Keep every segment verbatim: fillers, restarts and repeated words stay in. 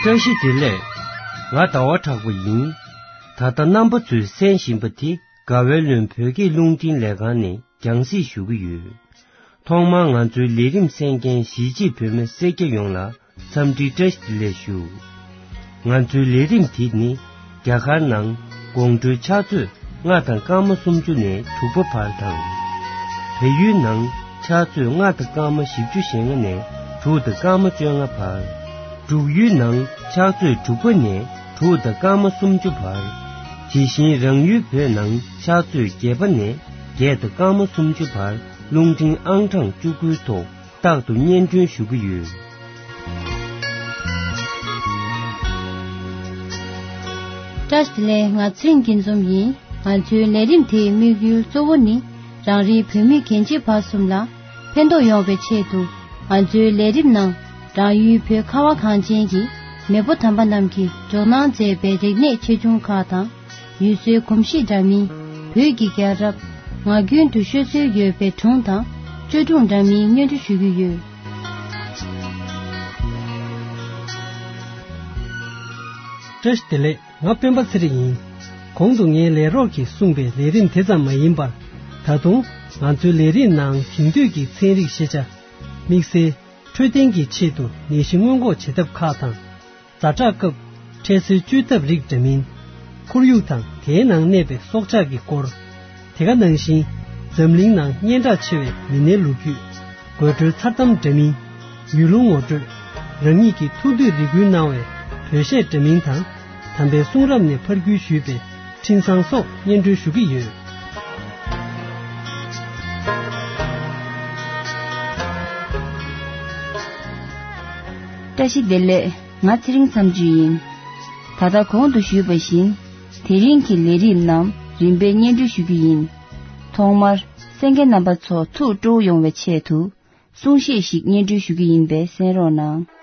བཀྲ་ཤིས་བདེ་ལེགས། ང་ཟླ་བ་གྲགས་པ་ཡིན། ད་ལྟ་རྣམ་པ་ཚོས་གསན་བཞིན་པ་དེ་དགའ་བའི་ལུང་བོད་སྐད་རླུང་འཕྲིན་ལས་ཁང་ནས་རྒྱང་སྲིང་ཞུ་གི་ཡོད། ཐོག་མར་ང་ཚོའི་ལས་རིམ་གསན་མཁན་གཞིས་བྱེས་བོད་མི་སེར་སྐྱ་ཡོངས་ལ་འཚམས་འདྲི་བཀྲ་ཤིས་བདེ་ལེགས་ཞུ། ང་ཚོའི་ལས་རིམ་དེ་ནི་རྒྱ་གར་ནང་དགོང་དྲོའི་ཕྱག་ཚོད་ལྔ་དང་སྐར་མ་སུམ་ཅུ་ནས་དྲུག་པ་བར་དང་། བལ་ཡུལ་ནང་ཕྱག་ཚོད་ལྔ་དང་སྐར་མ་བཞི་བཅུ་ཞེ་ལྔ་ནས་དྲུག་དང་སྐར་མ་བཅོ་ལྔ་བར། འབྲུག་ཡུལ་ནང་ཕྱག་ཚོད་དྲུག་པ་ནས་དྲུག་དང་སྐར་མ་སུམ་ཅུ་བར། དེ་བཞིན་རང་ཡུལ་བོད་ནང་ཕྱག་ཚོད་བརྒྱད་པ་ནས་བརྒྱད་དང་སྐར་མ་སུམ་ཅུ་བར་རླུང་འཕྲིན་ཨང་གྲངས་བཅུ་དགུའི་ཐོག་རྟག་ཏུ་སྙན་སྒྲོན་ཞུ་གི་ཡོད། བཀྲ་ཤིས་བདེ་ལེགས། ང་ཚེ་རིང་སྐྱིད་འཛོམས་ཡིན། ང་ཚོའི་ལས་རིམ་དེའི་དམིགས་ཡུལ་གཙོ་བོ་ནི་རང་རེའི་བོད་མི་རྒན་བྱིས་བར་གསུམ་ལ་ཕན་ཐོགས་ཡོང་བའི་ཆེད་དུ། ང་ཚོའི་ལས་རིམ་ནང་རང་ཡུལ་བོད་ཁ་བ་གངས་ཅན་གྱི་མེས་པོ་དམ་པ་རྣམས་ཀྱིས་འཇོག་གནང་མཛད་པའི་རིག་གནས་ཆེ་ཆུང་ཁག་དང་། ཡུལ་སྲོལ་གོམས་གཤིས་འདྲ་མིན། བོད་ཀྱི་རྒྱལ་རབས། ངག་རྒྱུན་དུ་ཤོད་སྲོལ་ཡོད་པའི་སྒྲུང་དང་བཅོས་སྒྲུང་འདྲ་མིན་སྙན་སྒྲོན་ཞུ་གི་ཡོད། བཀྲ་ཤིས་བདེ་ལེགས། ང་སྤེན་པ་ཚེ་རིང་ཡིན། གོང་དུ་ངའི་ལས་རོགས་ཀྱིས་གསུངས་པའི་ལས་རིམ་དེ་ཙམ་མ་ཡིན་པར། ད་དུང་ང་ཚོའི་ལས་རིམ་ནང་དེང་དུས་ཀྱི་ཚན་རིག་ཤེས་བྱ། དམིགས་བསལ་འཕྲོད་བསྟེན་གྱི་ཆེད་དུ་ནད་གཞི་སྔོན་འགོག་བྱེད་ཐབས་ཁག་དང་། ཛ་དྲག་སྐབས་འཕྲལ་སེལ་བཅོས་ཐབས་རིགས་འདྲ་མིན། ཁོར་ཡུག་དང་དེའི་ནང་གནས་པའི་སྲོག་ཆགས་ཀྱི་སྐོར། དེ་ག་ནང་བཞིན་འཛམ་གླིང་ནང་སྙན་གྲགས་ཆེ་བའི་མི་སྣའི་ལོ་རྒྱུས། དགོད་བྲོའི་མཚར་གཏམ་འདྲ་མིན། ཡུལ་ལུང་ངོ་སྤྲོད། རང་ཉིད་ཀྱི་ཐུགས་འདོད་རེ་སྐུལ་གནང་བའི་བོད་གཞས་འདྲ་མིན་དང་། དམ་པའི་གསུང་རབ་ནས་ཕར་བརྒྱུད་ཞུས་པའི་འཕྲིན་བཟང་སོགས་སྙན་སྒྲོན་ཞུ་གི་ཡོད། བཀྲ་ཤིས་བདེ་ལེགས། ང་ཚེ་རིང་མཚམས་གཅོད་ཡིན། ད་ལྟ་གོང་དུ་ཞུས་པ་བཞིན། དེ་རིང་གི་ལས་རིམ་རྣམས་རིམ་པས་སྙན་སྒྲོན་ཞུ་རྒྱུ་ཡིན། ཐོག་མར་གསན་མཁན་རྣམ་པ་ཚོ་ཐུགས་སྤྲོ་བོ་ཡོང་བའི་ཆེད་དུ། གསུང་བཤད་ཞིག་སྙན་སྒྲོན་ཞུ་རྒྱུ་ཡིན་པས་གསན་རོགས་གནང་།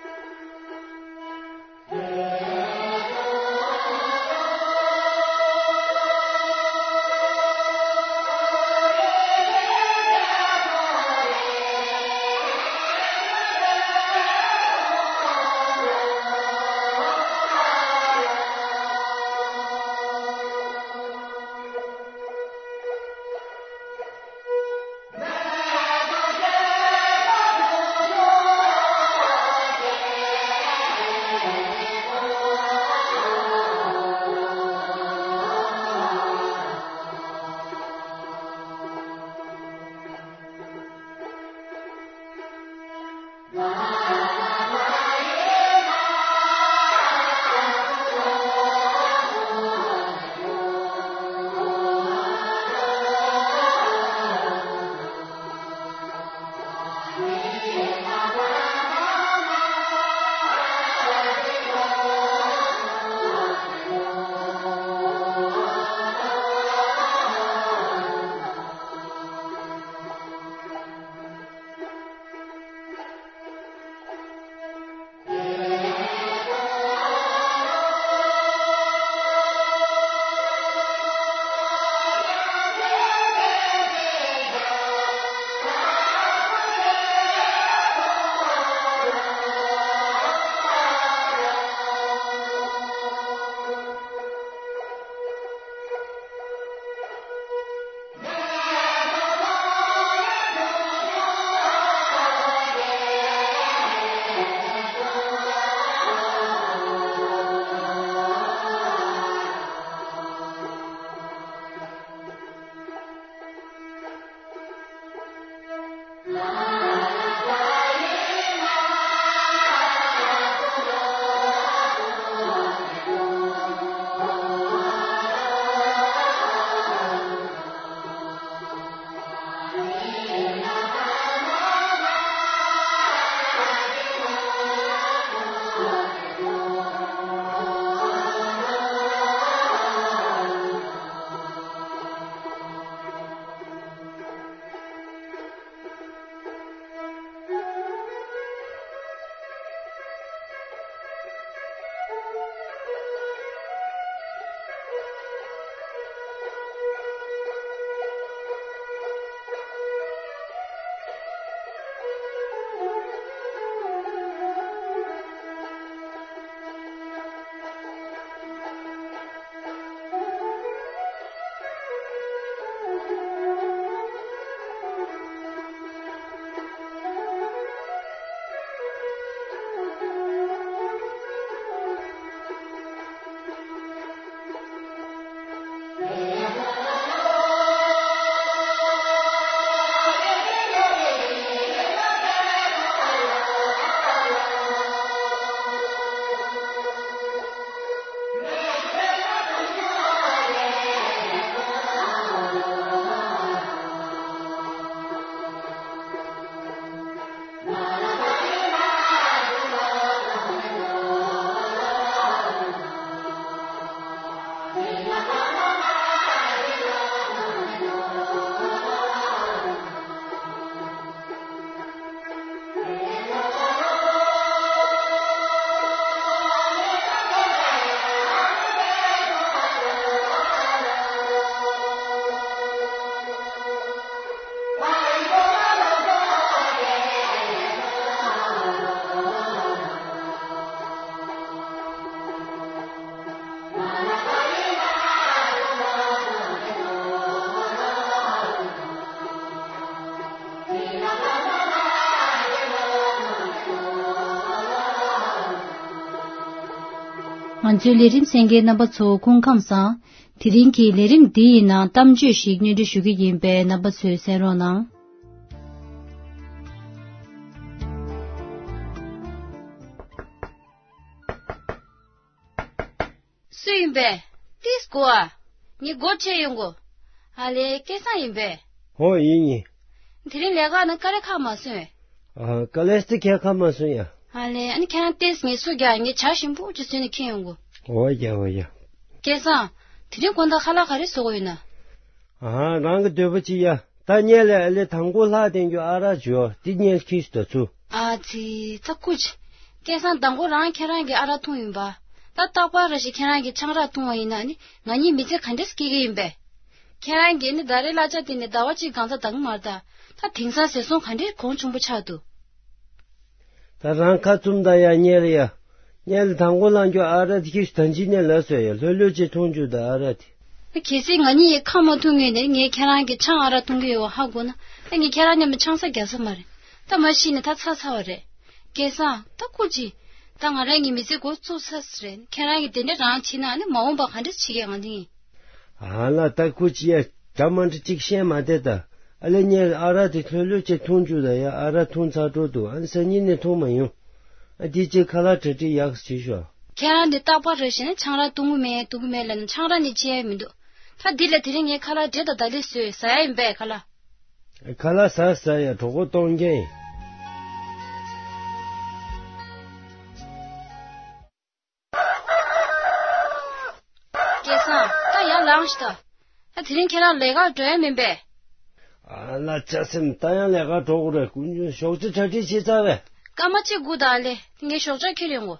ང་ཚོའི་ལས་རིམ་གསན་མཁན་རྣམ་པ་ཚོ་སྐུ་ཁམས་བཟང་། དེ་རིང་གི་ལས་རིམ་འདི་ཡི་ནང་གཏམ་བརྗོད་ཞིག་སྙན་སྒྲོན་ཞུ་གི་ཡིན་པས། རྣམ་པ་ཚོས་གསན་རོགས་གནང་། སུ་ཡིན་པས། ཏིས་གོ་ཨ། ངའི་སྒོ་ཕྱེ་ཡོང་གོ། ཨ་ལེ། སྐལ་བཟང་ཡིན་པས། ཧོ། ཡིན་ཡིན། དེ་རིང་ལས་ཀ་ནང་དཀའ་ལས་ཁག་མ་སོང་ངས། ཨ། དཀའ་ལས་དེ་ཁྱད་ཁག་མ་སོང་ཡ། ཨ་ལེ། ཨ་ནི་ཁྱེད་རང་ཏིས་ངལ་གསོ་རྒྱག་ངས་ཇ་ཞིམ་པོ་ཅིག་བཟོས་ནས་ཁྱེར་ཡོང་གོ། འོ་ཡ། འོ་ཡ། སྐལ་བཟང་། དེ་རིང་དགོང་དག་ཁ་ལག་ག་རེ་བཟོ་དགོས་ཡོད་ན། ཨ། རང་གི་འདོད་པ་ཅི་ཡ། ད་ཉལ་ལས་ཨ་ལེ་དང་པོ་ལྷག་བསྟན་རྒྱུ་ཨ་རག་བྱོས་དེ་ཉལ་ཁིས་དོ་ཚུ། ཨ་ཙི། ད་སྐུ་ཅི། སྐལ་བཟང་། དང་པོ་རང་ཁྱེད་རང་གིས་ཨ་རག་འཐུང་ཡིན་པ། ད་རྟག་པར་རེ་ཞིག་ཁྱེད་རང་གིས་ཆང་རག་འཐུང་བ་ཡིན་ན་ནི་ང་གཉིས་མི་ཚེ་ག་འདྲས་སྐྱེལ་གི་ཡིན་པས། ཁྱེད་རང་གིས་ནི་ད་རེས་གླ་ཆ་དེ་ནི་ཟླ་བ་གཅིག་གང་ཚ་འདང་མར་ད། ད་དེང་སང་ཟས་སོང་ག་འདྲས་གོང་ཆུང་པོ་ཆགས་འདུག་ད་རང་ཁ་བཙུམ་ད་ཡ། ཉལ་ཡ། ཉལ་དང་པོ་ལངས་རྒྱུ་ཨ་རག་དེ་ཁྱེད་ད་ཅི་ནས་ལབ་སོང་ཡ། ལྷོད་ལྷོད་ཅིག་འཐུང་རྒྱུ་ད་ཨ་རག་དེ། ད་གལ་སྲིད་ང་གཉིས་ཡི་ཁ་མ་ཐུག་ངེས་ནས་ངས་ཁྱེད་རང་གི་ཆང་ཨ་རག་འཐུང་གི་ཡོད་བ་ཧ་གོ་ན། ད་ངས་ཁྱེད་རང་མཉམ་དུ་ཆང་ས་རྒྱག་ས་མ་རེད། ད་མ་ཤི་ནས་ད་ཚར་ཚར་བ་རེད། སྐལ་བཟང་། ད་སྐུ་ཅི། ད་ང་རང་གི་མི་ཚེ་འགོ་བཙུགས་ཚར་ས་རེད། ཁྱེད་རང་གི་དེ་འདྲ་རང་བྱེད་ན་ནི་མ་འོངས་པ་ག་འདྲ་བྱེད་ཀྱི་ང་འདི་ཡིན། ཨ་ལ། ད་སྐུ་ཅི་ཡ། འདྲ་མ་འདྲ་ཅིག་བཤད་མ་བསྡད་ད། ཨ་ལེ། ངས་ཨ་རག་དེ་ལྷོད་ལྷོད་ཅིག་འཐུང་རྒྱུ་ད་ཡ། ཨ་རག་འཐུང་ཚར་འགྲོ་འདུག་ཨ་ནི་སང་ཉིན་ནས་འཐུང་མ་ཡོང་། ཨ། དེ་ཅིག་ཁ་ལག་གྲ་སྒྲིག་ཡག་བྱེད་ཤོག་ཁྱེད་རང་འདི་རྟག་པར་རེ་བཞིན་ཆང་རག་འཐུང་གི་མེད་འཐུང་གི་མེད་ལབ་ན་ཆང་རག་ནི་བཅད་ཡ་མི་འདུག་ད་འདི་ལ་དེ་རིང་ངས་ཁ་ལག་འབྲས་དང་ད་ལི་བཟོས་ཟ་ཡ་ཡིན་པས་ཁ་ལག་ཁ་ལག་ཟ་ཟ་ཡ། གྲོད་ཁོག་སྟོང་རྐྱང་ཡིན། སྐལ་བཟང་། ད་ཡར་ལངས་ཤིག་ད། ད་དེ་རིང་ཁྱེད་རང་ལས་ཀར་འགྲོ་ཡ་མིན་པས། ཨ་ལ། ཅག་སེམས། ད་ཡང་ལས་ཀར་འགྲོ་དགོས་རེད། དཀོན་མཆོག་ཞོགས་ཇ་གྲ་སྒྲིག་བྱེད་ཚར་བས། སྐར་མ་གཅིག་སྒུག་ད་ཨ་ལེ། ངས་ཞོགས་ཇ་ཁྱེར་ཡོང་གོ།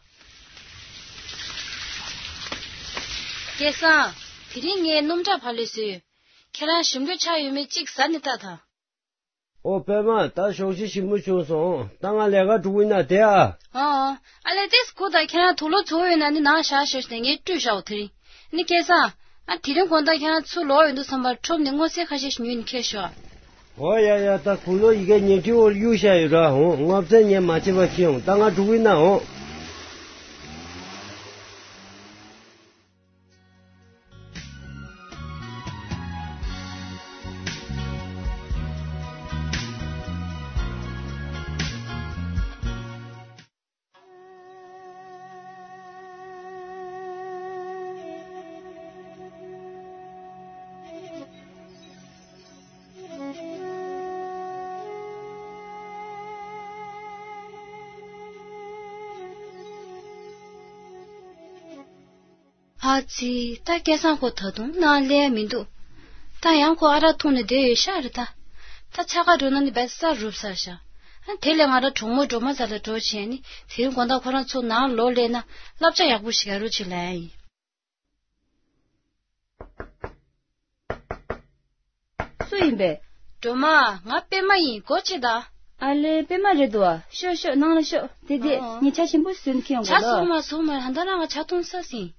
སྐལ་བཟང་། དེ་རིང་ངས་སྣུམ་ཁྲག་བག་ལེབ་བཟོས་ཡོད། ཁྱེད་རང་ཞིམ་པོ་ཆགས་ཡོད་མེད་གཅིག་ཟ་ནས་ལྟ་དང་། ཨོ། པད་མ། ད་ཞོགས་ཇ་ཞིམ་པོ་བྱུང་སོང་། ད་ང་ལས་ཀ་འགྲོ་གི་ཡིན་ན་བསྡད་ཨ། ཨ་ཨ། ཨ་ལེ། ཏིས་གོ་ད། ཁྱེད་རང་དུག་ལོག་ཚོ་ཡོད་ན་ནི་ནང་བཞག་ཞོག་ནས་ངས་བཀྲུས་བཞག་འོ། དེ་རིང་ནི་སྐལ་བཟང་། ཨ། དེ་རིང་དགོང་དག་ཁྱེད་རང་ཚུར་ལོག་ཡོང་དུས་ཙམ་པར་ཁྲོམ་ནས་སྔོ་ཚལ་ཁ་ཤས་ཤིག་ཉོས་ནས་ཁྱེར་ཤོག་ཨོ་ཡ་ཡ། ད་དུག་ལོག་ཡི་གེ་ཉལ་ཁྲིའི་འོག་གཡུག་བཞག་ཡོད་ར། འོང་། སྔོ་ཚལ་ངས་མ་བྱེད་པ་ཁྱེར་ཡོང་། ད་ང་འགྲོ་གི་ཡིན་ན། འོང་། ཨ་ཙི། ད་སྐལ་བཟང་ཁོ་ད་དུང་ནང་སླེབས་ཡ་མི་འདུག་ད་ཡང་ཁོ་ཨ་རག་འཐུང་ནས་བསྡད་ཡོད་ཤག་རེད་ད། ད་ཆ་ག་འགྲོ་ན་ནི་བས་ས་རུབ་ས་ཤག་ཨ། དེ་ལས་ང་རང་གྲོགས་མོ་སྒྲོལ་མ་རྩ་ལ་འགྲོ་བྱས་ནི་དེ་རིང་དགོང་དག་ཁོ་རང་ཚོ་ནང་ལོག་སླེབས་ན་བསླབ་བྱ་ཡག་པོ་ཞིག་རྒྱག་རོགས་བྱེད་ལབ་ཡ་ཡིན། སུ་ཡིན་པས། སྒྲོལ་མ། ང་པད་མ་ཡིན། སྒོ་ཕྱེ་ད། ཨ་ལེ། པད་མ་རེད་འདུག་ཨ། ཤོག་ཤོག་ནང་ལ་ཤོག་དེ་དེ། ཨོ། ངས་ཇ་ཞིམ་པོ་བཟོས་ནས་ཁྱེར་ཡོང་གོ་ལ། ཇ་བཟོ་མ་བཟོ་མ། ད་ལྟ་རང་ང་ཇ་འཐུང་ས་ཟིན།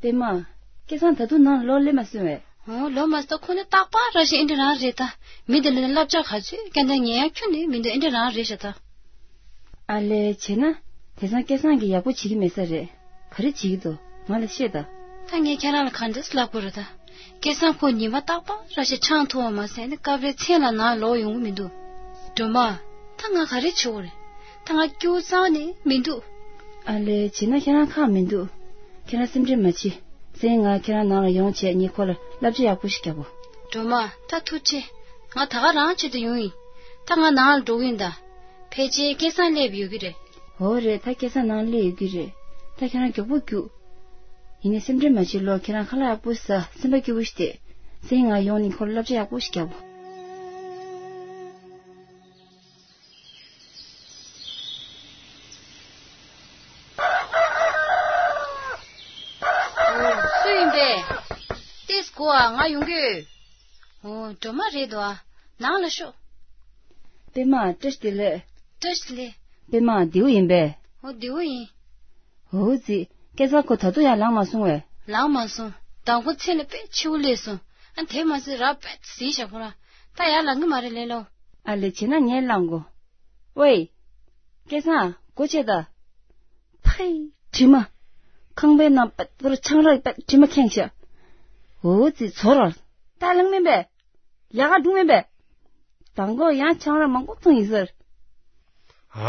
པད་མ། སྐལ་བཟང་ད་དུང་ནང་ལོག་སླེབས་མ་སོང་བས། ཨོ། ལོག་མ་སོང་། ད་ཁོ་ནི་རྟག་པར་ར་ཞིག་ཨེ་འདྲ་རང་རེད་ད། མི་དེ་ལ་ནི་བསླབ་བྱ་ག་ཚོད་བསྐྱལ་ན་ཉན་ཡ་ཁྱོན་ནས་མི་འདུག་ཨེ་འདྲ་རང་རེད་ཤག་ད། ཨ་ལེ། བྱས་ན། དེང་སང་སྐལ་བཟང་གིས་ཡག་པོ་བྱེད་ཀྱི་མེད་ས་རེད། ག་རེ་བྱེད་ཀྱི་འདུག་ང་ལ་བཤད་དང་། ད་ངས་ཁྱེད་རང་ལ་ག་འདྲས་ལབ་དགོས་རེད་ད། སྐལ་བཟང་ཁོ་ཉི་མ་རྟག་པར་ར་ཞིག་ཆང་འཐུང་བ་མ་ཟད་ནི་སྐབས་རེ་མཚན་ལ་ནང་ལོག་ཡོང་གི་མི་འདུག་སྒྲོལ་མ། ད་ང་ག་རེ་བྱེད་དགོས་རེད། ད་ང་སྐྱིད་པོ་རྩ་བ་ནས་མི་འདུག་ཨ་ལེ། བྱས་ན་ཁྱེད་རང་ཁག་མི་འདུག་ཁྱེད་རང་སེམས་ཁྲལ་མ་བྱེད། སེང་ང་ཁྱེད་རང་ནང་ལ་ཡོང་བྱས་ངས་ཁོ་ལ་བསླབ་བྱ་ཡག་པོ་ཞིག་རྒྱབ་བོ། སྒྲོལ་མ། ད་ཐུགས་རྗེ་ཆེ། ང་ད་ག་རང་ཆེད་དུ་ཡོང་ཡིན། ད་ང་ནང་ལ་འགྲོ་གི་ཡིན་ད། ཕལ་ཆེར་སྐལ་བཟང་སླེབས་ཡོད་ཀྱི་རེད། འོ་རེད། ད་སྐལ་བཟང་ནང་སླེབས་ཡོད་ཀྱི་རེད། ད་ཁྱེད་རང་མགྱོགས་པོ་རྒྱུགས། ཡིན་ནའི་སེམས་ཁྲལ་མ་བྱེད་ལོ། ཁྱེད་རང་ཁ་ལག་ཡག་པོ་ཟ། སེམས་པ་སྐྱིད་པོ་ཞིག་བལྟས། སེང་ང་ཡོང་ནས་ཁོ་ལ་བསླབ་བྱ་ཡག་པོ་ཞིག་རྒྱབ་བོ། ཨོ། སུ་ཡིན་པས། ཏིས་གོ་ཨ། ང་ཡོང་གི་ཡོད། ཨོ། སྒྲོལ་མ་རེད་འདུག་ཨ། ནང་ལ་ཤོག་པད་མ། བཀྲ་ཤིས་བདེ་ལེགས། བཀྲ་ཤིས་བདེ་ལེགས། པད་མ་བདེ་པོ་ཡིན་པས། ཨོ། བདེ་པོ་ཡིན། འོ་ཙི། སྐལ་བཟང་ཁོ་ད་དུང་ཡང་ལངས་མ་སོང་བས། ལངས་མ་སོང་། མདང་དགོང་མཚན་ལ་དཔེ་འཕྱི་བོ་སླེབས་སོང་། ཨ། དེ་མ་ཟད་ར་དཔེ་གཟིགས་བཞག་ཁོ་རང་། ད་ཡར་ལངས་གི་མ་རེད་ལེ་ལོ། ཨ་ལེ། བྱས་ན་ངས་ལངས་གོ། ཝེ། སྐལ་བཟང་། སྒོ་ཕྱེ་ད། ཕའི། དྲི་མ། ཁང་པའི་ནང་པད་པོར་ཆང་རག་པད་དྲི་མ་ཁེངས་ཤག་འོ་ཙི་ཚོར་བ། ད་ལང་མིན་པས། ལས་ཀ་འགྲུབ་མིན་པས། དང་པོ་ཡང་ཆང་རག་མང་པོ་འཐུང་ཡིན་ཟེར།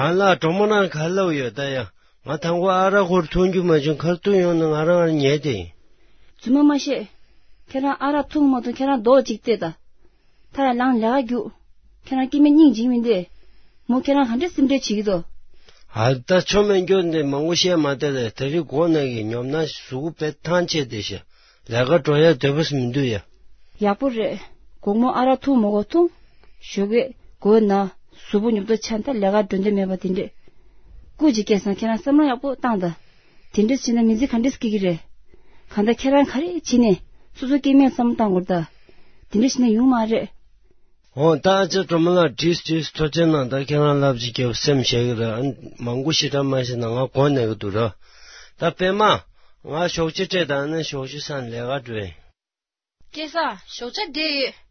ཨ་ལ་གྲོ་མོ་རང་ག་ལབ་ཡོད་ད་ཡ། ང་དང་པོ་ཨ་རག་ཁོར་འཐུང་རྒྱུ་མ་བྱུང་ཁར་ཐུག་ཡོང་ན་ང་རང་ཉལ་ཏེ་ཡིན། རྫུན་མ་མ་བཤད། ཁྱེད་རང་ཨ་རག་འཐུང་མ་འཐུང་ཁྱེད་རང་རྡོག་གཅིག་བལྟས་ད། ད་ཡ་ལང་ལས་ཀ་རྒྱུགས། ཁྱེད་རང་སྐྱེ་དམན་སྙིང་རྗེ་མིན་ཏེ། མོ་ཁྱེད་རང་ག་འདྲ་སེམས་ཁྲལ་བྱེད་ཀྱི་འདུག་ཨ་ད་ཆོ་མེད་སྐྱོ་འདི་མང་པོ་བཤད་མ་བསྡད་ལས་དེ་རིང་དགོང་ནས་ཀྱི་ཉོབ་ན་གཟུགས་པོ་དཔེ་ཐང་ཆད་བསྡད་ཤག་ལས་ཀ་འགྲོ་ཡ་འདོད་པ་མི་འདུག་ཡ། ཡག་པོ་རེད། དགོང་མོ་ཨ་རག་འཐུང་མ་དགོས་འཐུང་། ཞོགས་ཀས་དགོས་ན་གཟུགས་པོ་ཉོབ་ཏོ་ཆགས་ད་ལས་ཀ་འགྲོ་འདོད་མེད་པ་དེ་འདྲས། སྐུ་མཁྱེན་སྐལ་བཟང་ཁྱེད་རང་བསམ་བློ་ཡག་པོ་བཏང་ད། དེ་འདྲས་བྱས་ན་མི་ཚེ་ག་འདྲས་སྐྱེལ་གྱི་རེད། གང་ལྟར་ཁྱེད་རང་ག་རེ་བྱས་ནས་སོ་སོ་སྐྱེ་དམན་བསམ་བློ་བཏང་དགོས་ད། དེ་འདྲས་བྱས་ན་ཡོང་མ་རེད། འོ་ད་ཨ་ཅག་སྒྲོལ་མ་ལགས་བྲིས་བྲིས་ཐུགས་རྗེ་གནང་། ད་ཁྱེད་རང་ལབ་ཅིག་རྒྱབ་སེམས་ཞེ་གི་ར་མང་པོ་ཞེ་དྲག་མ་བཤད་ན་ང་གོ་གནས་གི་འདུག་ར། ད་པད་མ། ང་ཞོགས་ཇ་སྤྲད་དང་ནི་ཞོགས་ཇ་སང་ལས་ཀ་འགྲོ་ཡིན། སྐལ་བཟང་ཞོགས་ཇ་བསྡད་ཡོད།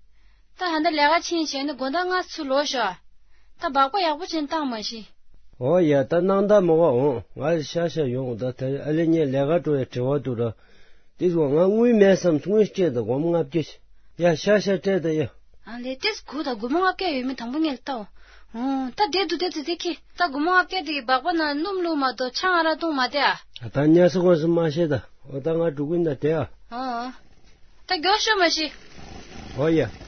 ད་ཧ་ད་ལས་ཀ་ཕྱིན་བྱས་ནས་དགོང་དག་སྔ་ཚུར་ལོག་ཤོག་ད་སྦག་སྦག་ཡག་པོ་བྱས་ནས་བཏང་མ་ཤེས། འོ་ཡ་ད་གནང་ད་མོ་ག་འོང་ང་ཤ་ཤ་ཡོང་ད་ད་ཨ་ལེ་ངས་ལས་ཀ་འགྲོ་ཡ་བྲེལ་བ་འདུག་ར། དེ་སོང་ང་དངུལ་མེད་བསམ་དངུལ་སྤྲད་དང་སྒོར་མོ་ལྔ་བརྒྱ། ཡ་ཤ་ཤ་སྤྲད་དང་ཡ། ཨ་ལས་ཏེས་གུ་ད་སྒོར་མོ་ལྔ་བརྒྱ་ཡོད་མེད་དང་པོ་ངས་ལྟ་འོ། ད་བསྡད་འདུག་བསྡད་འདུག་དེ་ཁྱི་ད་སྒོར་མོ་ལྔ་བརྒྱ་དེ་གི་སྦག་སྦག་ནང་སྣུམ་བླུགས་མ་གཏོགས་ཆང་ཨ་རག་བཏུང་མ་བསྡད་ཨ། ད་ཉལ་ས་ཁོངས་སུ་མ་ཤེས་ད། འོ་ད་ང་འགྲོ་གི་ཡིན་ད་བསྡད་ཨ། ཨ། ད་མགྱོགས་ཤོག་མ་ཤི། འོ་ཡ།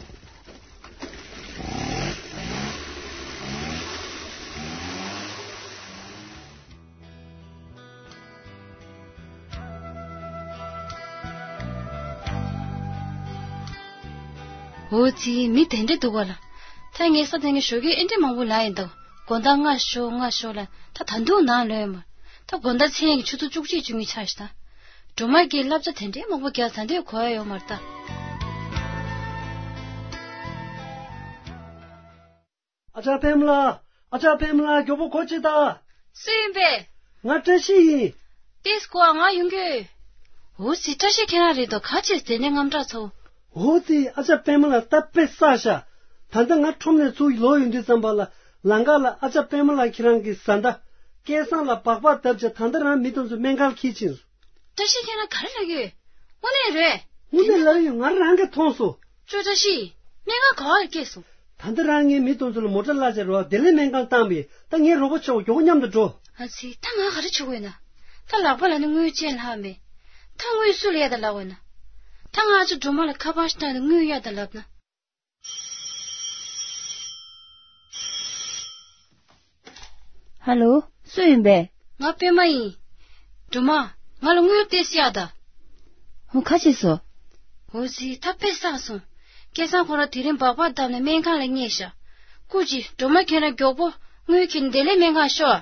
འོ་ཙི་མི་དེ་འདྲ་འདུག་ག་ལ། ད་ངས་ས་དེ་ངས་ཞོགས་ཀས་ཨེ་འདྲ་མང་པོ་ལ་ཡིན་འདུག་དགོང་དག་སྔ་ཤོག་སྔ་ཤོག་ལ་ད་ད་དུང་ནང་ལོས་མ། ད་དགོང་དག་མཚན་གྱི་ཆུ་ཚོད་བཅུ་གཅིག་བཅུ་གཉིས་ཆགས་ཤག་ད། སྒྲོལ་མ་གིས་བསླབ་བྱ་དེ་འདྲའི་མང་པོ་རྒྱག་ད་འདོད་གོ་ཡ་ཡོད་མ་རེད་ད། ཨ་ཅག་པད་མ་ལགས། ཨ་ཅག་པད་མ་ལགས་མགྱོགས་པོ་གོ་ཅིག་ད། སུ་ཡིན་པས། ང་བཀྲ་ཤིས་ཡིན། ཏེས་ཀོ་ང་ཡོང་གི། འོ་ཙི་བཀྲ་ཤིས་ཁྱེད་རང་རེད་དོ་ག་ཅེས་དེ་ནས་དངངས་སྐྲག་ཚོ། འོ་ཙི་ཨ་ཅག་པད་མ་ལགས་ད་དཔེ་བསགས་ཤག་ད་ལྟ་ང་ཁྲོམ་ནས་ཚུར་ལོག་ཡོང་དུས་ཙམ་པ་ལ་ལམ་ཁ་ལ་ཨ་ཅག་པད་མ་ལགས་ཁྱེད་རང་གི་བཟའ་ཟླ། སྐལ་བཟང་ལ་སྦག་སྦག་བརྡབས་བྱས་ད་ལྟ་རང་མི་དེ་ཚོ་སྨན་ཁང་འཁྱེར་ཕྱིན་སོང་། བཀྲ་ཤིས་ཁྱེད་རང་ག་རེ་ལབ་ཀྱི་ཡོད། དངོས་གནས་རེད། དངོས་གནས་ལབ་ཡོད་ང་རང་གིས་མཐོང་སོང་། ཅོ་བཀྲ་ཤིས། སྨན་ཁང་ག་བར་སྐྱེས་སོང་། ད་ལྟ་རང་ངའི་མི་དེ་ཚོ་ལ་མོ་ཊ་གླ་བྱས་རོགས་བདེ་ལེགས་སྨན་ཁང་བཏང་བས་ད་ངའི་རོགས་པ་ཆོག་མགྱོགས་མཉམ་དུ་འགྲོ། ཨ་ཙི་ད་ང་ག་རེ་བྱེད་དགོས་ན། ད་ལག་པ་ལ་ནི་དངུལ་ཅན་ལྷག་མེད། ད་དངུལ་སུ་ལ་ཡ་ད་ལབ་དགོས་ན། ད་ང་ཨ་ཅག་སྒྲོལ་མ་ལ་ཁ་པར་ཞིག་བཏང་ནས་དངུལ་གཡར་ད་ལབ་ན། ཧ་ལོ། སུ་ཡིན་པས། ང་པད་མ་ཡིན། སྒྲོལ་མ། ང་ལ་དངུལ་ཏོག་ཙམ་གཡར་དང་། ཧོ་ཁ་ཆེ་སོ། འོ་ཙི་ད་དཔེ་བསགས་སོང་། སྐལ་བཟང་ཁོ་རང་དེ་རིང་སྦག་སྦག་བརྡབས་ནས་སྨན་ཁང་ལ་བསྙལ་ཤག་སྐུ་མཁྱེན་སྒྲོལ་མ་ཁྱེད་རང་མགྱོགས་པོ་དངུལ་ཁྱེར་ནས་བདེ་ལེགས་སྨན་ཁང་ཤོག་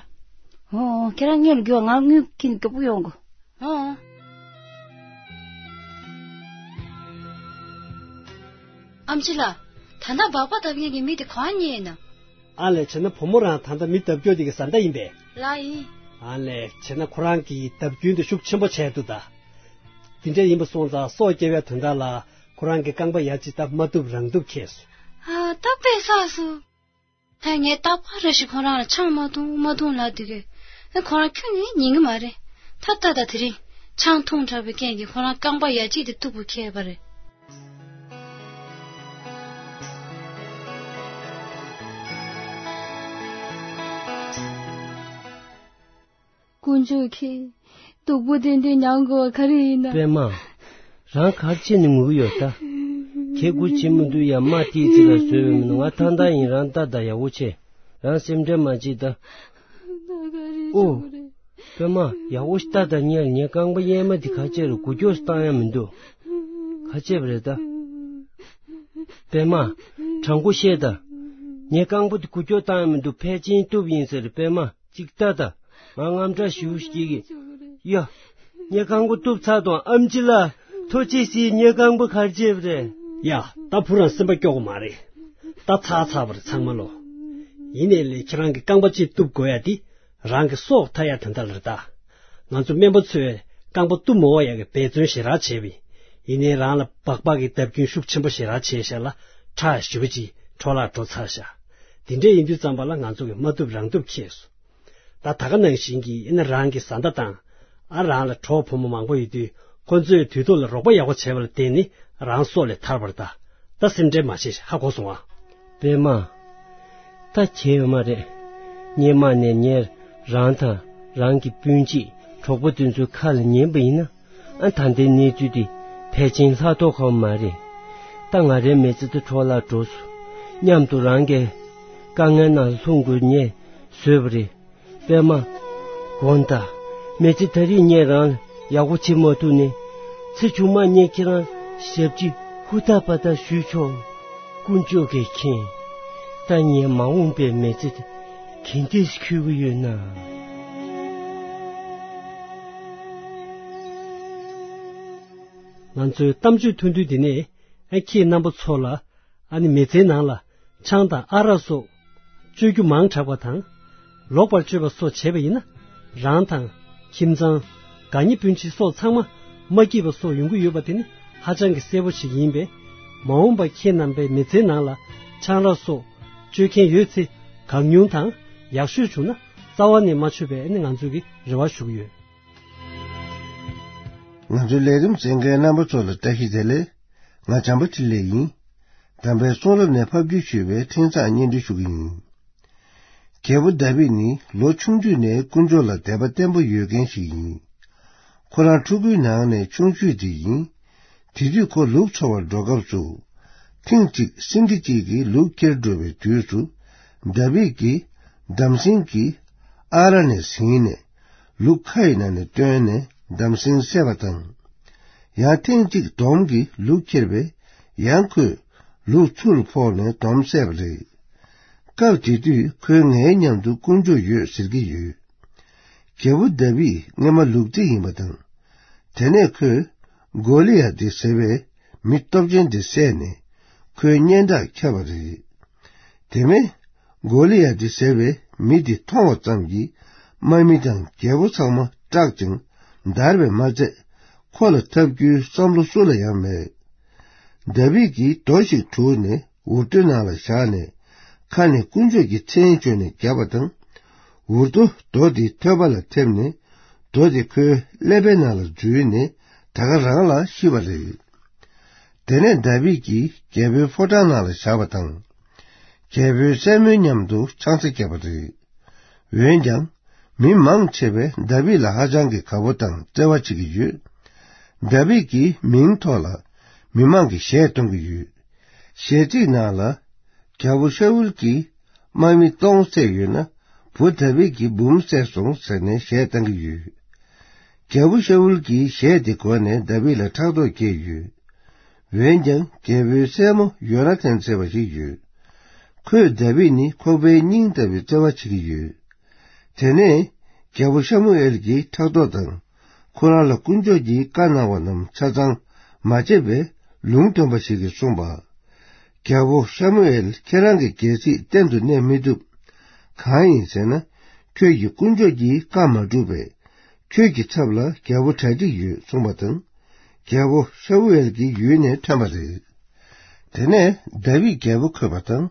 ཨོ་ཨོ་ཁྱེད་རང་སྔོན་ལ་རྒྱུགས་ང་དངུལ་ཁྱེར་ནས་མགྱོགས་པོ་ཡོང་གོ་ཨོ་ཨོ། ཨམ་ཆི་ལགས། ད་ལྟ་སྦག་སྦག་བརྡབ་མཁན་གྱི་མི་དེ་གང་རྙེད་ན། ཨ་ལས་བྱས་ན་བུ་མོ་རང་ད་ལྟ་མི་བརྡབ་སྐྱོར་དེ་གི་བཟའ་ཟླ་ཡིན་པས། ལགས་ཡིན། ཨ་ལས་བྱས་ན་ཁོ་རང་གིས་བརྡབ་སྐྱོན་དེ་ཤུགས་ཆེན་པོ་བྱས་འདུག་ད། དེ་འདྲ་ཡིན་པ་སོང་ཙང་སྲོག་སྐྱེལ་བའི་དོན་དག་ལ་ཁོ་རང་གི་རྐང་པ་ཡ་གཅིག་ད་མ་ཐུབ་རང་ཐུབ་ཁེལ་སོང་། ཨ་ད་དཔེ་བསགས་སོང་། ད་ངས་རྟག་པར་རེ་ཞིག་ཁོ་རང་ལ་ཆང་མ་འཐུང་མ་འཐུང་ལབ་དུས་ཀྱི། ཨ་ཁོ་རང་ཁྱོན་ནས་ཉན་གི་མ་རེད། ད་ལྟ་ད་དེ་རིང་ཆང་འཐུང་དྲགས་པའི་རྐྱེན་གྱིས་ཁོ་རང་རྐང་པ་ཡ་གཅིག་དེ་གཏུབ་དགོས་ཁེལ་བ་རེད། དཀོན་མཆོག་གིས། སྡུག་པོ་དེ་འདྲས་མྱངས་དགོས་པ་ག་རེ་ཡིན་ན། པད་མ། རང་ག་རེ་བྱས་ནས་ངུ་གི་ཡོད་ད། ཁྱེད་སྒུག་བྱེད་མི་འདུག་ཡ་མ་ཏིས་ཅི་ལ་བཟོས་པའི་མི་འདུག་ང་ཐང་ཐང་ཡིན་རང་ལྟ་ད་ཡག་པོ་བྱེད། རང་སེམས་ཁྲལ་མ་བྱེད་ད། ཨོ། པད་མ་ཡག་པོ་ཞིག་ལྟ་ད་ཉལ་ངའི་རྐང་པ་གཡས་མ་དེ་ག་བྱས་རེད་འགུལ་སྐྱོད་སུ་བཏང་ཡ་མི་འདུག་ག་བྱས་པ་རེད་ད། པད་མ། དྲང་པོ་བཤད་ད། ངའི་རྐང་པ་དེ་འགུལ་སྐྱོད་བཏང་ཡ་མི་འདུག་ཕལ་ཆེར་གཏུབ་ཡིན་ཟེར་པད་མ། ཅིག་ལྟ་ད། ང་དངངས་སྐྲག་ཞེ་པོ་སྐྱེ་གི། ཡ། ངའི་རྐང་པ་གཏུབ་ཚར་དང་ཨམ་ཆི་ལགས། ཐུགས་རྗེ་གཟིགས་ངའི་རྐང་པ་ག་རེ་བྱས་པ་རེད། ཡ། ད་བུ་རང་སེམས་པ་སྐྱོ་གི་མ་རེད། ད་ཚར་ཚར་བ་རེད་ཚང་མ་ལོ། ཡིན་ནའི་ལས་ཁྱེད་རང་གི་རྐང་པ་གཅིག་གཏུབ་དགོས་ཡ་དེ། རང་གི་སྲོག་ཐར་ཡ་དོན་དག་ལ་རེད་ད། ང་ཚོ་སྨན་པ་ཚོས་རྐང་པ་གཏུབ་མ་འོག་ཡ་གི་འབད་བརྩོན་ཞེ་དྲག་བྱས་པས། ཡིན་ནའི་རང་ལ་སྦག་སྦག་གི་བརྡབ་སྐྱོན་ཤུགས་ཆེན་པོ་ཞེ་དྲག་བྱས་ཤག་ལ་ཁྲག་ཞེ་པོ་ཅིག་འཕྲོ་བརླག་འགྲོ་ཚར་ཤག་དེ་འདྲས་ཡིན་དུས་ཙམ་པ་ལ་ང་ཚོ་གིས་མ་ཐུབ་རང་ཐུབ་ཁེལ་སོང་། ད་ད་ག་ནང་བཞིན་གྱི་ཨེ་ན་རང་གི་བཟའ་ཟླ་དང་ ཨ། རང་ལ་གྲོགས་ཕོ་མོ་མང་པོ་ཡོད་དུས་ཁོ་ཚོས་དུས་ཐོག་ལ་རོགས་པ་ཡག་པོ་བྱས་པ་ལ་བརྟེན་ནས་རང་སྲོག་ལས་ཐར་བ་རེད་ད། ད་སེམས་ཁྲལ་མ་བྱེད། ཧ་གོ་སོང་ཨ། པད་མ། ད་བྱས་ཡོད་མ་རེད། སྔོན་མ་ནས་ངས་རང་དང་རང་གི་སྤུན་མཆེད་གྲོགས་པོ་དེ་ཚོའི་ཁ་ལ་ཉན་པ་ཡིན་ན། ཨ། ད་ལྟའི་གནས་ཚུལ་འདི་ཕལ་ཆེར་ལྷག་མདོག་ཁ་པོ་མ་རེད། ད་ང་རའི་མི་ཚེ་འདི་འཕྲོ་བརླག་འགྲོ་སོང་། མཉམ་དུ་རང་གི་དཀའ་ངལ་ནང་ལྷུང་དགོས་ངེས་བཟོས་པ་རེད། པད་མ། དགོངས་དག། མི་ཚེ་ད་རེས་ངས་རང་ལ་ཡག་པོ་བྱེད་མ་ཐུབ་ནའི། ཚེ་གཞུག་མ་ངས་ཁྱེད་རང་ཞབས་ཕྱི་ཧུར་ཐག་པ་ཐག་ཞུས་ཆོག། དཀོན་མཆོག་གིས་མཁྱེན། ད་ངའི་མ་འོངས་པའི་མི་ཚེ་དེ་ག་འདྲས་འཁྱོལ་གྱི་ཡོད་ན། ང་ཚོའི་གཏམ་བརྗོད་ཐུང་ཐུང་འདི་ནས། ཨ། ཁྱེད་རྣམ་པ་ཚོ་ལ། ཨ་ནི་མི་ཚེའི་ནང་ལ་ཆང་དང་ཨ་རག་སོགས་སྤྱོད་རྒྱུ་མང་དྲགས་པ་དང་། ལོག་པར་སྤྱོད་པ་སོགས་བྱས་པ་ཡིན་ན། རང་དང་ཁྱིམ་ཚང་། དགའ་ཉེ་སྤུན་མཆེད་སོགས་ཚང་མ་མ་སྐྱིད་པ་སོགས་ཡོང་གི་ཡོད་པ་དེ་ནི་ཧ་ཅང་གི་གསལ་པོ་ཞིག་ཡིན་པས། མ་འོངས་པ་ཁྱེད་རྣམ་པའི་མི་ཚེའི་ནང་ལ་ཆང་རག་སོགས་སྤྱོད་མཁན་ཡོད་ཚེ་གང་ཉུང་དང་ཡག་ཤོས་བྱུང་ན་རྩ་བ་ནས་མ་མཆོད་པའི་ཨ་ནི་ང་ཚོ་གི་རེ་བ་ཞུ་གི་ཡོད། ང་ཚོའི་ལས་རིམ་གསན་མཁན་རྣམ་པ་ཚོ་ལ་བཀྲ་ཤིས་བདེ་ལེགས། ང་བྱམས་པ་འཕྲིན་ལས་ཡིན། དམ་པའི་གསུང་རབ་ནས་ཕབ་བསྒྱུར་ཞུས་པའི་འཕྲིན་བཟང་སྙན་སྒྲོན་ཞུ་གི་ཡིན། རྒྱལ་པོ་དཱ་བིད་ནི་ལོ་ཆུང་དུས་ནས་དཀོན་མཆོག་ལ་དད་པ་བརྟན་པོ་ཡོད་མཁན་ཞིག་ཡིན། ཁོ་རང་ཕྲུ་གུའི་ནང་ནས་ཆུང་ཤོས་དེ་ཡིན། དེ་དུས་ཁོ་ལུག་འཚོ་བར་འགྲོ་སྐབས་སུ། ཐེངས་གཅིག་སེང་གེ་གཅིག་གིས་ལུག་འཁྱེར་འགྲོ་བའི་དུས་སུ། དཱ་བིད་ཀྱིས་འདམ་སེང་གི་ཨ་རག་ནས་ཟིན་ནས། ལུག་ཁ་ཡི་ནང་ནས་བཏོན་ནས་འདམ་སེང་བསད་པ་དང་། ཡང་ཐེངས་གཅིག་དོམ་གྱིས་ལུག་ཁྱེར་བས་ཡང་ཁོས་ལུག་ཚུར་ཕོག་ནས་དོམ་བསད་པ་རེད། སྐབས་དེ་དུས་ཁོས་ངའི་མཉམ་དུ་དཀོན་མཆོག་ཡོད་ཟེར་གྱི་ཡོད། རྒྱལ་པོ་དཱ་བིད་སྔོན་མ་ལུག་རྫི་ཡིན་པ་དང་། དེ་ནས་ཁོས་གོ་ལི་ཡ་དེ་ཟེར་བའི་མི་སྟོབས་ཅན་དེ་བསད་ནས་ཁོའི་སྙན་གྲགས་ཁྱབ་པ་རེད། དེ་མིན། གོ་ལི་ཡ་དེ་ཟེར་བའི་མི་དེ་མཐོང་བ་ཙམ་གྱིས་དམག་མི་དང་རྒྱལ་པོ་ཚང་མ་སྐྲག་ཅིང་འདར་བས་མ་ཚད། ཁོ་ལ་འཐབ་རྒྱུའི་བསམ་བློ་སུ་ལ་ཡང་མེད། དཱ་བིད་ཀྱིས་རྡོ་ཞིག་བྲུས་ནས་འུར་རྡོའི་ནང་ལ་བཞག་ནས། ཁ་ནས་དཀོན་མཆོག་གི་མཚན་བརྗོད་ནས་བརྒྱབ་པ་དང་། འུར་རྡོ་རྡོ་དེའི་ཐོད་པ་ལ་ཐེབས་ནས། རྡོ་དེ་ཁོའི་ཀླད་པའི་ནང་ལ་འཛུལ་ནས་ད་ག་རང་ལ་ཤི་བ་རེད། དེ་ནས་དཱ་བིད་ཀྱིས་རྒྱལ་པོའི་ཕོ་བྲང་ནང་ལ་བཞག་པ་དང་། རྒྱལ་པོའི་སྲས་མོའི་མཉམ་དུ་ཆང་ས་བརྒྱབ་པ་རེད། འོན་ཀྱང་། མི་མང་ཆེ་བས་དཱ་བིད་ལ་ཧ་ཅང་གི་དགའ་པོ་དང་བརྩེ་བ་བྱེད་ཀྱི་ཡོད། དཱ་བིད་ཀྱི་མིང་ཐོག་ལ་མི་མང་གིས་གཞས་གཏོང་གི་ཡོད། གཞས་ཚིག་ནང་ལ། རྒྱལ་པོ་ཤ་ཨུལ་གྱིས་དམག་མི་སྟོང་བསད་ཡོད་ན། བུ་དཱ་བིད་ཀྱིས་འབུམ་བསད་སོང་ཟེར་ནས་གཞས་བཏང་གི་ཡོད། རྒྱལ་པོ་ཤ་ཨུལ་གྱིས་གཞས་དེ་གོ་ནས་དཱ་བིད་ལ་ཕྲག་དོག་སྐྱེས་ཡོད། འོན་ཀྱང་རྒྱལ་པོའི་སྲས་མོ་ཡོ་ན་ཐན་ཟེར་བ་ཞིག་ཡོད། ཁོས་དཱ་བིད་ནི་ཁོག་པའི་སྙིང་ལྟ་བུའི་བརྩེ་བ་བྱེད་ཀྱི་ཡོད། དེ་ནས་རྒྱལ་པོ་ཤ་མུ་ཨེལ་གྱིས་ཕྲག་དོག་དང་། ཁོ་རང་ལ་དཀོན་མཆོག་གིས་བཀའ་གནང་བ་རྣམས་ཆ་ཚང་མ་བྱས་པའི་ལུང་སྟོན་པ་ཞིག་གིས་གསུངས་པ། རྒྱལ་པོ་ཤ་མུ་ཨེལ། ཁྱེད་རང་གི་རྒྱལ་སྲིད་གཏན་དུ་གནས་མི་ཐུབ། གང་ཡིན་ཟེར་ན། ཁྱོད་ཀྱིས་དཀོན་མཆོག་གི་བཀའ་མ་བསྒྲུབས་པས། ཁྱོད་ཀྱི་ཚབ་ལ་རྒྱལ་པོ་གྲ་སྒྲིག་ཡོད་གསུངས་པ་དང་། རྒྱལ་པོ་ཤ་མུ་ཨེལ་གྱི་ཡུལ་ནས་ཐོན་པ་རེད། དེ་ནས་དཱ་བིད་རྒྱལ་པོ་འཁོད་པ་དང་།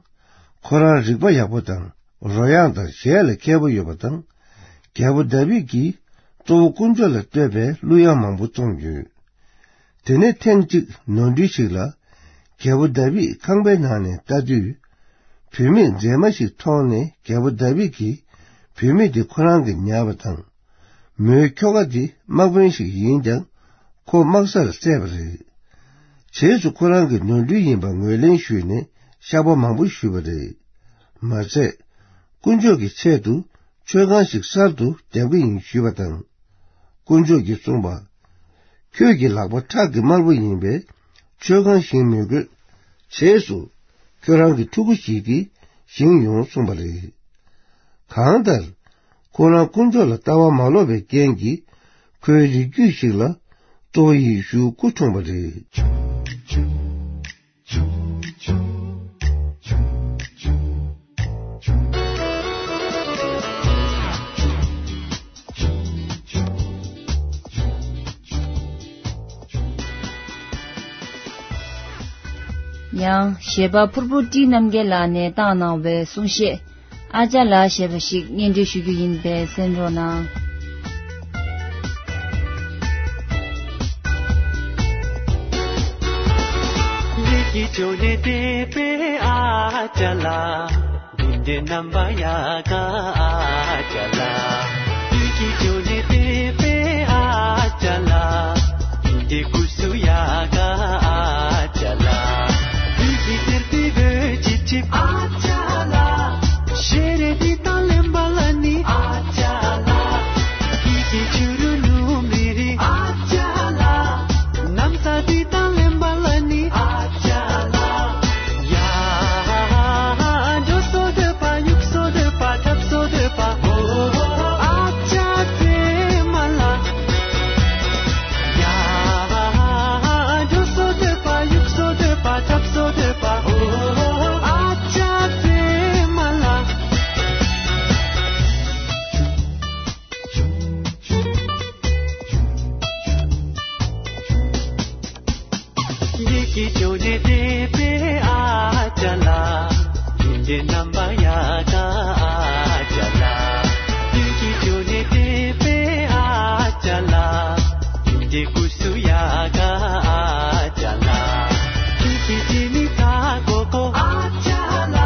ཁོ་རང་རིག་པ་ཡག་པོ་དང་། རོལ་དབྱངས་དང་གཞས་ལ་མཁས་པོ་ཡོད་པ་དང་། རྒྱལ་པོ་དཱ་བིད་ཀྱིས་གཙོ་བོ་དཀོན་མཆོག་ལ་བསྟོད་པའི་གླུ་དབྱངས་མང་པོ་བརྩམས་ཡོད། དེ་ནས་ཐེངས་གཅིག་ནོར་འཁྲུལ་ཞིག་ལ། རྒྱལ་པོ་དཱ་བིད་ཁང་པའི་ནང་ནས་ལྟ་དུས། བུད་མེད་མཛེས་མ་ཞིག་མཐོང་ནས་རྒྱལ་པོ་དཱ་བིད་ཀྱིས་བུད་མེད་དེ་ཁོ་རང་གིས་ཉར་བ་དང་། མོའི་ཁྱོ་ག་དེ་དམག་དཔོན་ཞིག་ཡིན་ཀྱང་། ཁོ་དམག་སར་བསད་པ་རེད། རྗེས་སུ་ཁོ་རང་གི་ནོར་འཁྲུལ་ཡིན་པ་ངོས་ལེན་ཞུས་ནས་བཤགས་པ་མང་པོ་ཞུས་པ་རེད། མ་ཟད། དཀོན་མཆོག་གི་ཆེད་དུ་མཆོད་ཁང་ཞིག་གསར་དུ་བརྒྱབ་ཀྱི་ཡིན་ཞུས་པ་དང་། དཀོན་མཆོག་གིས་གསུངས་པ། ཁྱོད་ཀྱི་ལག་པ་ཁྲག་གི་དམར་པོ་ཡིན་པས། མཆོད་ཁང་བཞེངས་མི་དགོས། རྗེས་སུ་ཁྱོད་རང་གི་ཕྲུ་གུ་ཞིག་གིས་བཞེངས་ཡོང་གསུངས་པ་རེད། གང་ལྟར། ཁོ་རང་དཀོན་མཆོག་ལ་ལྟ་བ་མ་ལོག་པའི་རྐྱེན་གྱིས། ཁོའི་རིགས་རྒྱུད་ཞིག་ལ་གཙོ་བོ་ཡེ་ཤུའི་སྐུ་འཁྲུངས་པ་རེད། ཡང་གཞས་པ་ཕུར་བུ་བཀྲིས་རྣམ་རྒྱལ་ལགས་ནས་བཏང་གནང་བའི་གསུང་བཤད། ཨ་ཅག་ལགས་ཞེས་པ་ཞིག་སྙན་སྒྲོན་ཞུ་རྒྱུ་ཡིན་པས་གསན་རོགས་གནང་། ཀྱི་ཅོ་ནེ་ཏེ་པེ་ཨ་ཅ་ལ། དུན་ཏེ་ནམ་བ་ཡ་ག་ཨ་ཅ་ལ། དུ་ཀྱི་ཅོ་ནེ་ཏེ་པེ་ཨ་ཅ་ལ། དུན་ཏེ་ཀུ་སུ་ཡ་ག་ཨ་ཅ་ལ། དུ་ཀྱི་ཏེར་ཏེ་བེ་ཅི་ཅི་ཨ་ཅ་ལ། ཤེ་རེ་ཏི་ཏང་ལེམ་བ་ལ་ནི་ཨ་ཅ་ལ། ཀི་ཀི་ཆུ་རུ་ནུ་མི་རི་ཨ་ཅ་ལ། ནམ་ས་ཏི་ཏང་ལེམ་བ་ལ་ནི་ཨ་ཅ་ལ། ཡ་ཇོ་སོ་དེ་པ་ཡུག་སོ་དེ་པ་ཐབ་སོ་དེ་པ་ཨོ་ཨ་ཅ་ཙེ་མ་ལ། ཡ་ཇོ་སོ་དེ་པ་ཡུག་སོ་དེ་པ་ཐབ་སོ་དེ་པ་ཨོ་ཨ་ཅག་ཙེ་མ་ལ། ཡེ་ཀི་ཅོ་ནེ་ཏེ་པེ་ཨ་ཅ་ལ། ཡིན་ཏེ་ནམ་བ་ཡ་ག་ཨ་ཅ་ལ། ཡེ་ཀི་ཅོ་ནེ་ཏེ་པེ་ཨ་ཅ་ལ། ཡིན་ཏེ་ཀུ་སུ་ཡ་ག་ཨ་ཅ་ལ། ཁྱི་ཁྱི་ཅི་མི་ད་ཀོ་ཀོ་ཨ་ཅ་ལ།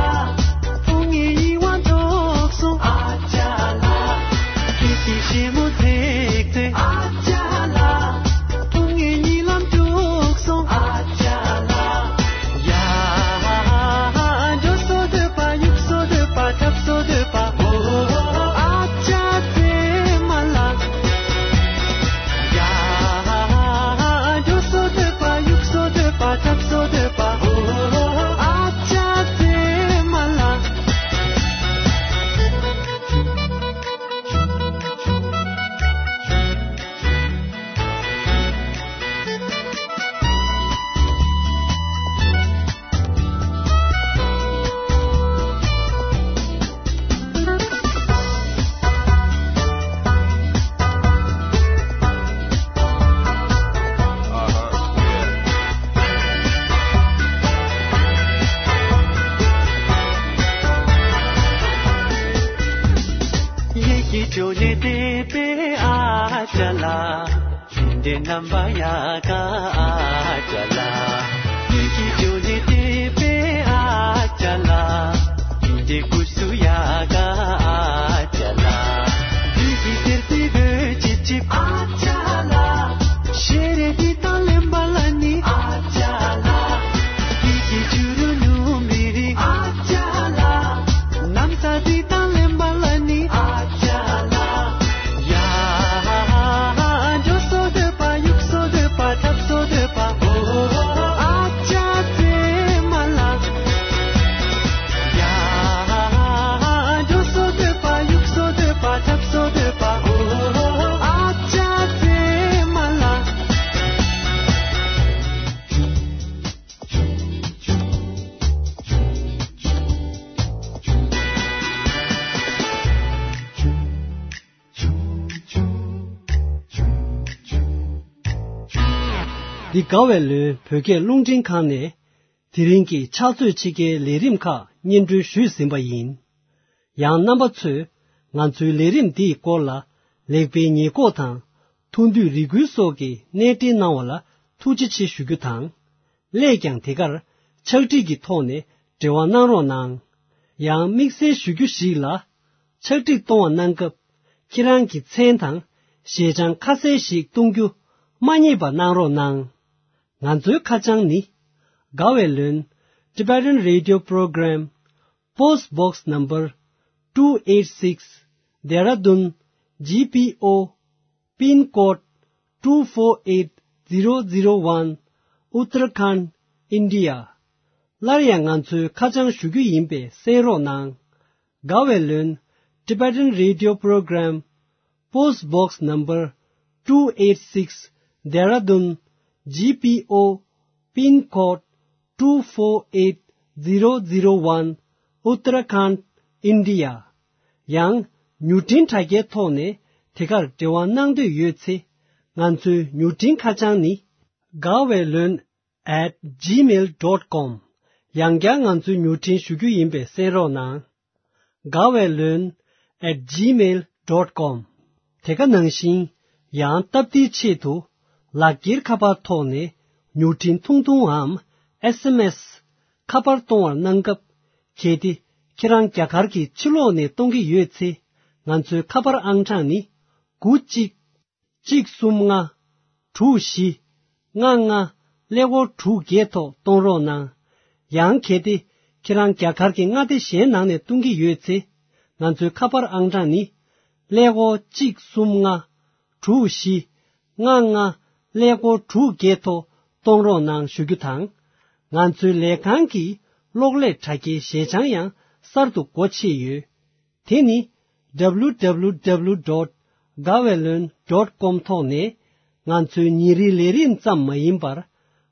ཕུ་ངེ་ཡི་ཝང་ཏོག་སོང་ཨ་ཅ་ལ། ཁྱི་ཁྱི་ཤེ་མོ་ཐེག་ཐེ་ཨ་ཅ་ལ། ཕུ་ངེ་ཡི་ལམ་ཏོག་སོང་ཨ་ཅ་ལ། ཡ་ཇོ་སོ་དེ་པ་ཡུག་སོ་དེ་པ་ཐབ་སོ་དེ་པ་ཨོ་ཨ་ཅག་ཙེ་མ་ལ། ཡ་ཇོ་སོ་དེ་པ་ཡུག་སོ་དེ་པ་ཐབ་སོ་དེ་པ་ཨོ་ཨ་ཅག་ཙེ་མ་ལ། ཡེ་ཀི་ཅོ་ནེ་ཏེ་པེ་ཨ་ཅ་ལ། ཡིན་ཏེ་ནམ་བ་ཡ་ག་ཨ་ཅ་ལ། ཡེ་ཀི་ཅོ་ནེ་ཏེ་པེ་ཨ་ཅ་ལ། ཡིན་ཏེ་ཀུ་སུ་ཡ་ག་ཨ་ཅ་ལ། ཡེ་ཀི་ཏེར་ཏེ་བེ་ཅི་ཅི་ཨ་ཅ་ལ། ཤེ་རེ་ཏི་ཏང་ལེམ་བ་ལ་ནི་ཨ་ཅ་ལ། ཡེ་ཀི་ཆུ་རུ་ནུ་མི་རི་ཨ་ཅ་ལ། ནམ་ས་ཏི་ཏང་ལེམ་བ་ལ་ནི་ཨ་ཅ་ལ། ཡ་ཇོ་སོ་དེ་པ་ཡུག་སོ་དེ་པ་ཐབ་སོ་དེ་པ་ཨོ་ཨ་ཅག་ཙེ་མ་ལ། ཡ་ཇོ་སོ་དེ་པ་ཡུག་སོ་དེ་པ་ཐབ་སོ་དེ་པ་ཨོ་ཨ་ཅག་ཙེ་མ་ལ། འདི་དགའ་བའི་ལོན་བོད་སྐད་རླུང་འཕྲིན་ཁང་ནས་དེ་རིང་གི་ཕྱག་ཚོད་ཕྱེད་ཀའི་ལས་རིམ་ཁག་སྙན་སྒྲོན་ཞུས་ཟིན་པ་ཡིན། ཡང་རྣམ་པ་ཚོས་ང་ཚོའི་ལས་རིམ་འདིའི་སྐོར་ལ་ལེགས་སྤེལ་ཉེས་འགོག་དང་ཐུགས་འདོད་རེ་སྐུལ་སོགས་ཀྱི་གནས་འབྲེལ་གནང་བ་ལ་ཐུགས་རྗེ་ཆེ་ཞུ་རྒྱུ་དང་། སླད་ཀྱང་དེ་གར་ཕྱག་བྲིས་ཀྱི་ཐོག་ནས་འབྲེལ་བ་གནང་རོགས་གནང་། ཡང་དམིགས་བསལ་ཞུ་རྒྱུ་ཞིག་ལ། ཕྱག་བྲིས་གཏོང་བ་གནང་སྐབས་ཁྱེད་རང་གི་མཚན་དང་ཞལ་བྱང་ཁ་གསལ་ཞིག་གཏོང་རྒྱུ་མ་བསྙེལ་བ་གནང་རོགས་གནང་། ང་ཚོའི་ཁ་བྱང་ནི། དགའ་བའི་ལོན། Tibetan Radio Program, Post Box Number two eight six, Dehradun, G P O, Pin Code two four eight zero zero one, Uttarakhand, India. སླར་ཡང་ང་ཚོའི་ཁ་བྱང་ཞུ་རྒྱུ་ཡིན་པས་གསན་རོགས་གནང་། དགའ་བའི་ལོན། Tibetan Radio Program, Post Box Number two eight six, Dehradun, G P O, Pin Code two four eight zero zero one, Uttarakhand, India. ཡང་མྱུར་འཕྲིན་དྲ་རྒྱའི་ཐོག་ནས་དེ་གར་འབྲེལ་བ་གནང་འདོད་ཡོད་ཚེ། ང་ཚོའི་མྱུར་འཕྲིན་ཁ་བྱང་ནི། དགའ་བའི་ལོན། at gmail dot com། ཡང་བསྐྱར་ང་ཚོའི་མྱུར་འཕྲིན་ཞུ་རྒྱུ་ཡིན་པས་གསན་རོགས་གནང་། དགའ་བའི་ལོན། at gmail dot com། དེ་ག་ནང་བཞིན་ཡང་སྟབས་བདེའི་ཆེད་དུ་ལག་འཁྱེར་ཁ་པར་ཐོག་ནས་མྱུར་འཕྲིན་ཐུང་ཐུང་འམ་ ཨེས་ཨེམ་ཨེས་ཁ་པར་གཏོང་བར་གནང་སྐབས། གལ་ཏེ་ཁྱེད་རང་རྒྱ་གར་གྱི་ཕྱི་ལོགས་ནས་གཏོང་གི་ཡོད་ཚེ། ང་ཚོའི་ཁ་པར་ཨང་གྲངས་ནི། དགུ་གཅིག་གཅིག་གསུམ་ལྔ། དྲུག་བཞི། ལྔ་ལྔ། ཀླད་ཀོར་དྲུག་བརྒྱད་ཐོག་གཏོང་རོགས་གནང་། ཡང་གལ་ཏེ་ཁྱེད་རང་རྒྱ་གར་གྱི་མངའ་སྡེ་གཞན་ནང་ནས་གཏོང་གི་ཡོད་ཚེ། ང་ཚོའི་ཁ་པར་ཨང་གྲངས་ནི། ཀླད་ཀོར་གཅིག་གསུམ་ལྔ། དྲུག་བཞི། ལྔ་ལྔ། ཀླད་ཀོར་དྲུག་བརྒྱད་ཐོག་གཏོང་རོགས་གནང་ཞུ་རྒྱུ་དང་། ང་ཚོའི་ལས་ཁང་གི་གློག་ཀླད་དྲ་རྒྱའི་ཞལ་བྱང་ཡང་གསར་དུ་སྒོ་ཕྱེ་ཡོད། དེ་ནི། W W W dot gaweylon dot com ཐོག་ནས། ང་ཚོའི་ཉིན་རེའི་ལས་རིམ་ཙམ་མ་ཡིན་པར།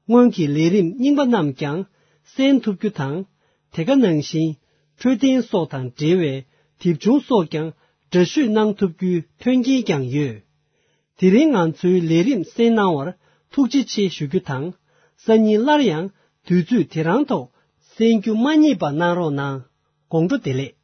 སྔོན་གྱི་ལས་རིམ་རྙིང་པ་རྣམས་ཀྱང་གསན་ཐུབ་རྒྱུ་དང་། དེ་ག་ནང་བཞིན། འཕྲོད་བསྟེན་སོགས་དང་འབྲེལ་བའི་དེབ་ཆུང་སོགས་ཀྱང་འདྲ་བཤུས་གནང་ཐུབ་རྒྱུའི་མཐུན་རྐྱེན་ཀྱང་ཡོད། དེ་རིང་ང་ཚོའི་ལས་རིམ་གསན་གནང་བར་ཐུགས་རྗེ་ཆེ་ཞུ་རྒྱུ་དང་། སང་ཉིན་སླར་ཡང་དུས་ཚོད་དེ་རང་ཐོག་གསན་རྒྱུ་མ་བསྙེལ་བ་གནང་རོགས་གནང་། དགོང་དྲོ་བདེ་ལེགས།